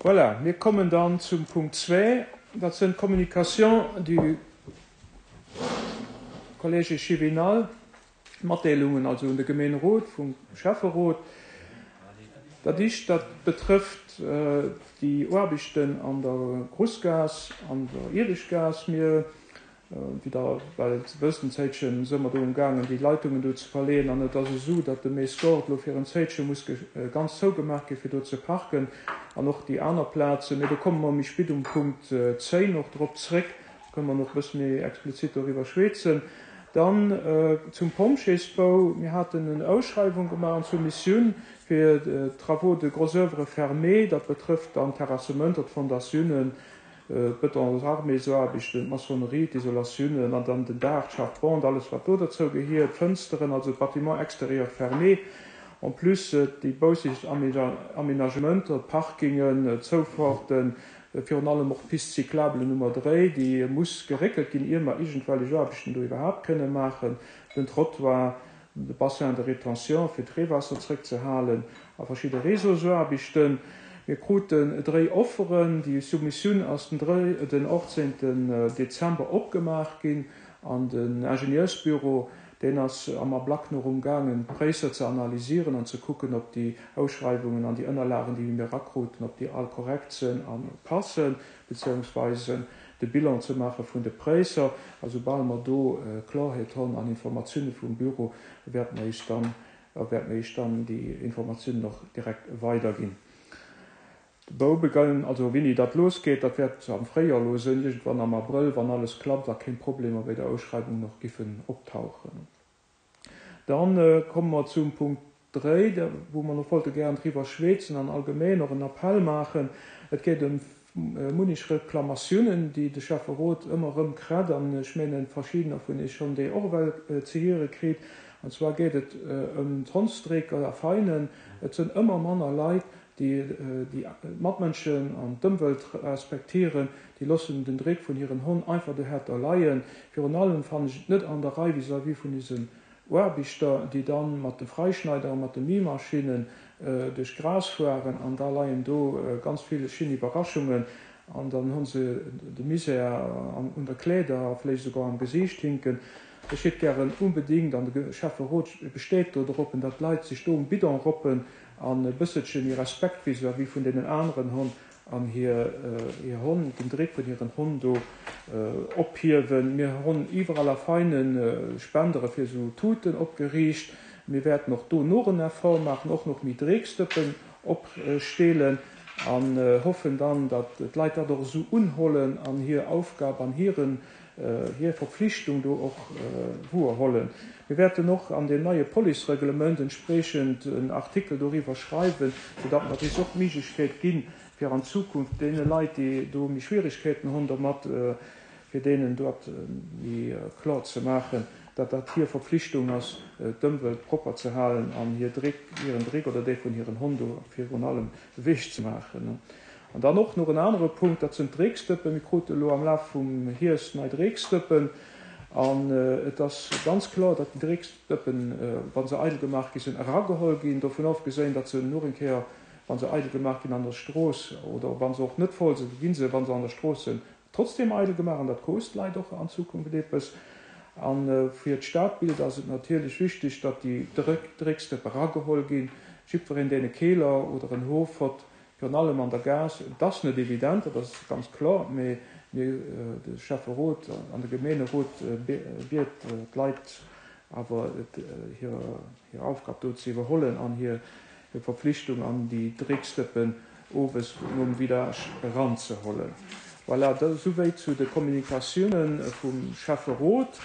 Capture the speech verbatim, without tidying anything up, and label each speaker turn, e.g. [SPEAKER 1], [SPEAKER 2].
[SPEAKER 1] Voilà, mir kommen dann zum Punkt zwee, dat sinn d'Communications du Collège échevinal, Matdeelungen also un de Gemeenerot vum Schäfferot. Dat éischt, dat betrëfft déi Aarbechten an der Grussgaass, an der Ieweschtgaass. Mir, wéi Der well wësst, en Zéitche si mer do umgaangen, déi Leitungen do ze verleeën. An et ass esou, datt de Maes Gord elo fir en Zéitche muss ganz zougemaach gi fir do ze parken an och déi aner Plazen. Mee do komme mer méi spit um Punkt zéin och drop zréck, kënne mer nach e bësse méi explizit doriwwer schwätzen. Dann zum Pompjeesbou, Mir haten en Ausschreiwung gemaach an Soumissioun fir Travaux de gros oeuvre fermés. Dat betrëfft dann d'Terrassementer, d'Fondatiounen, d'Bëtonsarméesaarbechten, d'Maçonnerie, d'Isolatiounen an dann den Daach, d'Charpente, alles wat do derzou gehiert, d'Fënsteren, also d'Bâtiment extérieur fermé. En plus déi baussegt Aménagementer, d'Parkingen, d'Zoufahrten, virun allem och d'Piste cyclable Nummer dréi, déi muss geréckelt ginn, ier mer iergendwellech Aarbechten do iwwerhaapt kënne maachen, den Trottoir, de Bassin de rétention, fir d'Reewaasser zréckzehalen, a verschidde Réseausaarbechten. Mir kruten dréi Offeren. Déi Soumissioun ass den den achtzéngten Dezember opgemaach ginn an den Ingenieursbüro, deen ass am Ablack nach umgaangen, d'Präisser ze analysieren an ze kucken, ob déi Ausschreiwungen an déi Ënnerlagen, déi mir erakruten, ob déi all korrekt sinn a passen, beziehungsweise de Bilan ze maache vun de Präisser. A soubal mer do Klarheet hunn an Informatioune vum Büro, wäerte mer iech dann, wäerte mer iech dann déi Informatiounen och direkt weiderginn. De Baubegann, also wéini dat losgeet, dat wäert am Fréijoer elo sinn, iergendwann am Abrëll, wann alles klappt a keng Problemer bei der Ausschreibung nach giffen optauchen. Dann komme mer zum Punkt dréi, wou mer nach wollte gären driwwer schwätzen an allgemeng och en Appell maachen. Et geet ëm munnech Reklamatiounen, déi de Schäfferot ëmmer erëm kritt, an ech mengen, verschiddener vun Iech hunn déi och ewell ze hiere kritt. An zwar geet et ëm d'Hondsdrécker a Feinen. Et sinn ëmmer manner Leit, déi déi d'Matmënschen an d'Ëmwelt respektieren, déi loossen den Dréck vun hiren Honn einfach dohärter leien. Virun allem fannen ech et net an der Rei vis-à-vis vun isen Aarbechter, déi dann mat de Freischneider a mat de Méimaschinnen duerch d'Gras fueren an da leien do ganz vill schin Iwwerraschungen an dann hunn se de Misär un der Kleeder a vläicht esouguer am Gesiicht hinken. Ech hätt gären unbedingt, an de Schäfferot besteet do drop, datt d'Leit sech do um Bidon roppen an e bësselche méi Respekt vis-à-vis vun deenen aneren hunn an hir Honn, den Dréck vun hiren Honn do ophiewen. Mir hunn iwwerall a feine Spendere fir esou Tuten opgeriicht. Mir wäerten och do noch en Effort maachen, och nach méi Drecksdëppen opstelen an hoffen dann, datt d'Leit dat och esou unhollen an hir Aufgab an hiren, hir Verpflichtung do och wouerhollen. Mir wäerten och an deem neie Policereglement entspriechend en Artikel doriwwer schreiwen, soudatt mer dees och d'Méiglechkeet ginn, fir an Zukunft deene Leit, déi do méi Schwierigkeeten hunn dermat, fir deenen dat méi kloer ze maachen, datt dat hir Verpflichtung ass, d'Ëmwelt propper ze halen an hir Dréck, hiren Dréck oder dee vun hiren Honn do virun allem ewech ze maachen. An dann och nach en anere Punkt, dat sinn d'Drécksdëppen. Mir krute elo am Laf vum Hierscht nei Drécksdëppen an et ass ganz kloer, datt déi Drécksdëppen, wa se eidel gemaach gi sinn, erageholl ginn. Dovun ofgesinn, datt se nach eng Kéier, wa se eidel gemaach ginn an der Strooss oder wa se och net voll sinn, gi se, wa se an der Strooss sinn, trotzdem eidel gemaach an dat kost d'Leit och an Zukunft eppes. A fir d'Stadbild ass et natierlech wichteg, datt déi Drécksdëppe erageholl ginn. Jiddwereen, deen e Keeler oder en Hof hott, virun allem an der Gaass, et ass net evident, dat ass ganz kloer, mee mir, de Schäfferot an de Gemeenerot, biet d'Leit awer, hir Aufgab do ze iwwerhollen an hir Verpflichtung an déi Drécksdëppen owes nom Vidage eranzehollen. Voilà, dat esouwäit zu de Kommunikatiounen vum Schäfferot.